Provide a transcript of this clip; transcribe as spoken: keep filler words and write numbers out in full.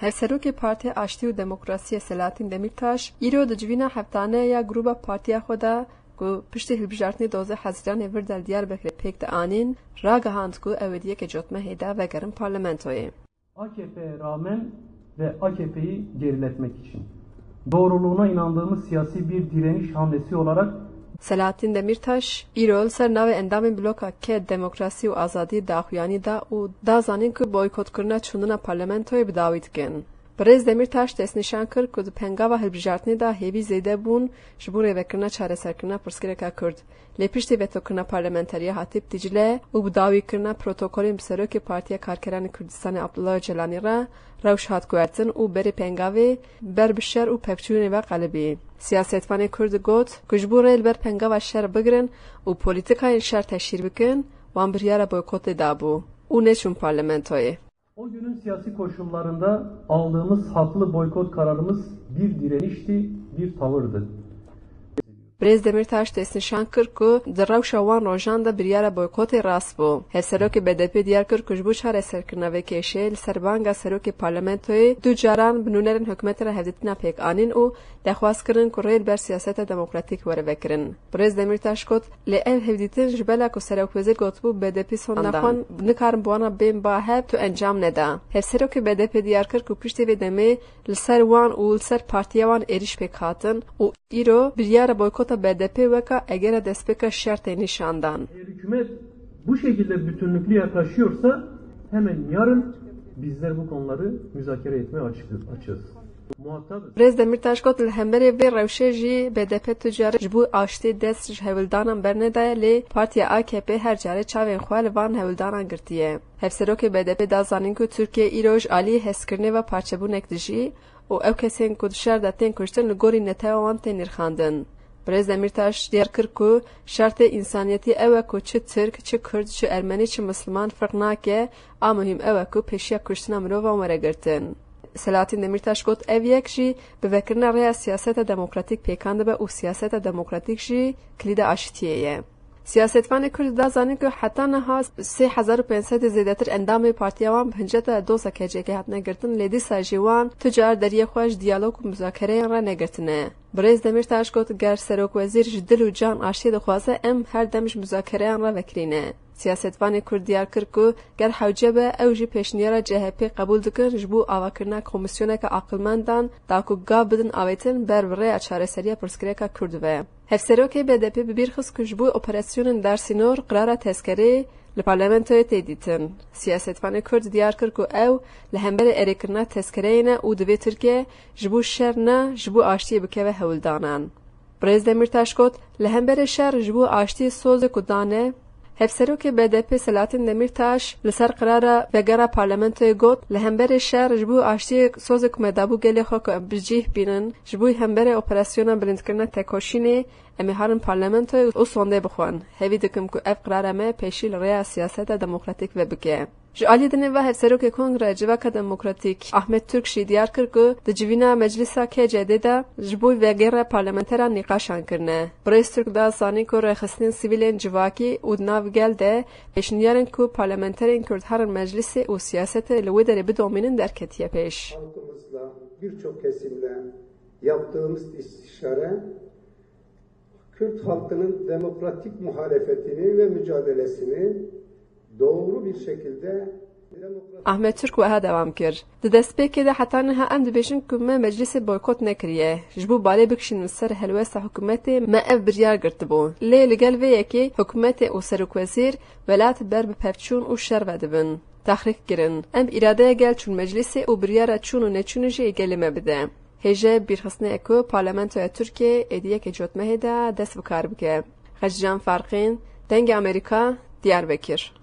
Hevserokê Partiya Aştî û Demokrasiyê Selahattin Demirtaş îro di civîna heftane ya grûba partiya xwe de ku piştî hilbijartinê dozê Hezîranê vir de li Diyarbekirê pêk dianîn, ragihand ku ew ê di yekê cotmehê de vegerin parlamentoyê. A K P'ye rağmen ve A K P'yi geriletmek için doğruluğuna inandığımız siyasi bir direniş hamlesi olarak Selahattin Demirtaş îro li ser navê endamên bloka K Demokrasî û Azadî daxuyanî da û da zanîn ku boykotkirina çûndina parlamentoyê bi dawî dikin. Birêz Demirtaş destnîşan kir ku di pengava hilbijartinê de hêvî zêde bûn ji bo rêvekirina çareserkirina pirsgirêka Kurd. Lê piştî vetokirina parlamenteriya Hatîp Dîcle û bi dawîkirina protokolên bi serokê Partiya Karkeranê Kurdistanê Abdullah Ocalanî re rewş hat guhertin û berê pengavê ber bi şer û pevçûnê ve qelibî. Siyasetvanê Kurd got ku ji bo rê li ber pengava şer bigirin û polîtikayên şer teşhîr bikin, wan biryara boykotê dabû û neçûn parlamentoyê. O günün siyasi koşullarında aldığımız haklı boykot kararımız bir direnişti, bir tavırdı. Birêz Demirtaş destnîşan kir ku di rewşa wan rojan de biryara boykotê rast bû. Hevserokê B D P diyar kir ku ji bo çareserkirina vê kêşeyê li ser banga serokê parlamentoyê du caran bi nûnerên hikûmetê re hevdîtina pêk anîn û dexwaz kirin ku rê li ber siyaseta demokratîk were vekirin. Birêz Demirtaş got, lê ev hevdîtin ji bela ku serokwezîr gotibû B D P sonda xwe nikarin bi wana bên ba hev tu encam neda. Hevserokê B D P diyar kir ku piştî vê demê li ser wan û li ser partiya wan êrîş pêk hatin û îro biryara boykota B D P weka egera destpêka şer tê nîşan dan. Eğer hükümet bu şekilde bütünlüklü yaklaşıyorsa hemen yarın bizler bu konuları müzakere etmeye açık, açığız. Muhatabız. Birêz Demirtaş got, li hemberê vê rewşê jî B D P tu care ji bo aştî dest ji hewldanan bernedaye, lê Partiya A K P her care çavên xwe li van hewldanan girtiye. Hevserokê B D P da zanîn ku Tirkiye îro ji alî hezkirinê ve parçebûnek dijî û ew kesên ku di şer de tên kuştin li gorî netewa wan tên nirxandin. Birêz Demirtaş diyar kir ku şertê însaniyetî ew e ku çi Tirk, çi Kurd, çi Ermenî, çi Misliman ferq nake, a muhîm ew e ku pêşiya kuştina mirovan were girtin. Selahattin Demirtaş got, ev yek jî bi vekirina rêya siyaseta demokratîk pêkan dibe û siyaseta demokratîk jî kilîda aşitiyê ye. Siyasetvanê Kurd da zanîn ku heta niha sê hezar û pênc sedê zêdetir endamê partiya wan bi hinceta doza K C K hatine girtin, lê dîsa jî wan tu car deriyê xwe ji diyalog û muzakereyan re negirtine. Birêz Demirtaş got, ger serokwezîr ji dil û can aştiyê dixwaze, em her dem ji muzakereyan re vekirî ne. Siyasetvanê Kurd diyar kir ku ger hewce be, ew jî pêşniyara C H P qebûl dikin ji bo avakirina komîsyoneke aqilmendan da ku gav bidin avêtin ber bi rêya çareseriya pirsgirêka Kurd ve. Hevserokê B D P bi bîr xist ku ji bo operasyonên dersînor qirara tezkerê li parlamentoyê tê dîtin. Siyasetvanê Kurd diyar kir ku ew li hemberî erêkirina tezkereyê ne û divê Tirkiye ji bo şer ne, ji bo aştiyê bikeve hewldanan. Birêz Demîrtaş got, li hemberî şer ji bo aştiyê sozê ku dane, Hevserokê B D P Selahattin Demîrtaş li ser qirara vegera parlamentoyê got, li hemberî şer ji bo aştiyê sozê ku me dabû gelê xwe ku em bi cih bînin, ji bo hemberî operasyona bilindkirina tekoşînê, em ê herin parlamentoyê û sondê bixwin. Hêvî dikim ku ev qirara me pêşî li rêya siyaseta demokratîk ve bike. Ji alî dinê ve Hevserokê Kongreya Civaka Demokratîk Ahmet Türk jî diyar kir ku di civîna Meclisa K C D de ji bo vegera parlamenteran nîqaşan kirine. Birêz Türk da zanîn ku rêxistinên sivîlên civakî û di nav gel de pêşniyarên ku parlamenterên Kurd herin meclisê û siyasetê li wê derê bidomînin derketiye pêş. Halkımızla, birçok kesimle yaptığımız istişare Kürt halkının demokratik muhalefetini ve mücadelesini doğru bir şekilde demokratik Ahmet Türk wiha dewam kir. Di destpêkê de heta niha em dibêjin ku me meclisê boykot nekiriye. Ji bo balê bikişînin ser helwesta hikûmetê me ev biryar girtibû. Lê li gel vê yekê hikûmetê û serokwezîr welat ber bi pevçûn û şer ve dibin. Tehrîk kirin. Em îradeya gel çûn meclisê û biryara çûn û neçûnê jî ê gelê me bide. Hêjayê bîrxistinê ye ku Parlamentoya Tirkiyeyê êdî yekê cotmehê de dest bi kar bike. Xecîcan Farqîn, Dengê Amerîka, Diyarbekir.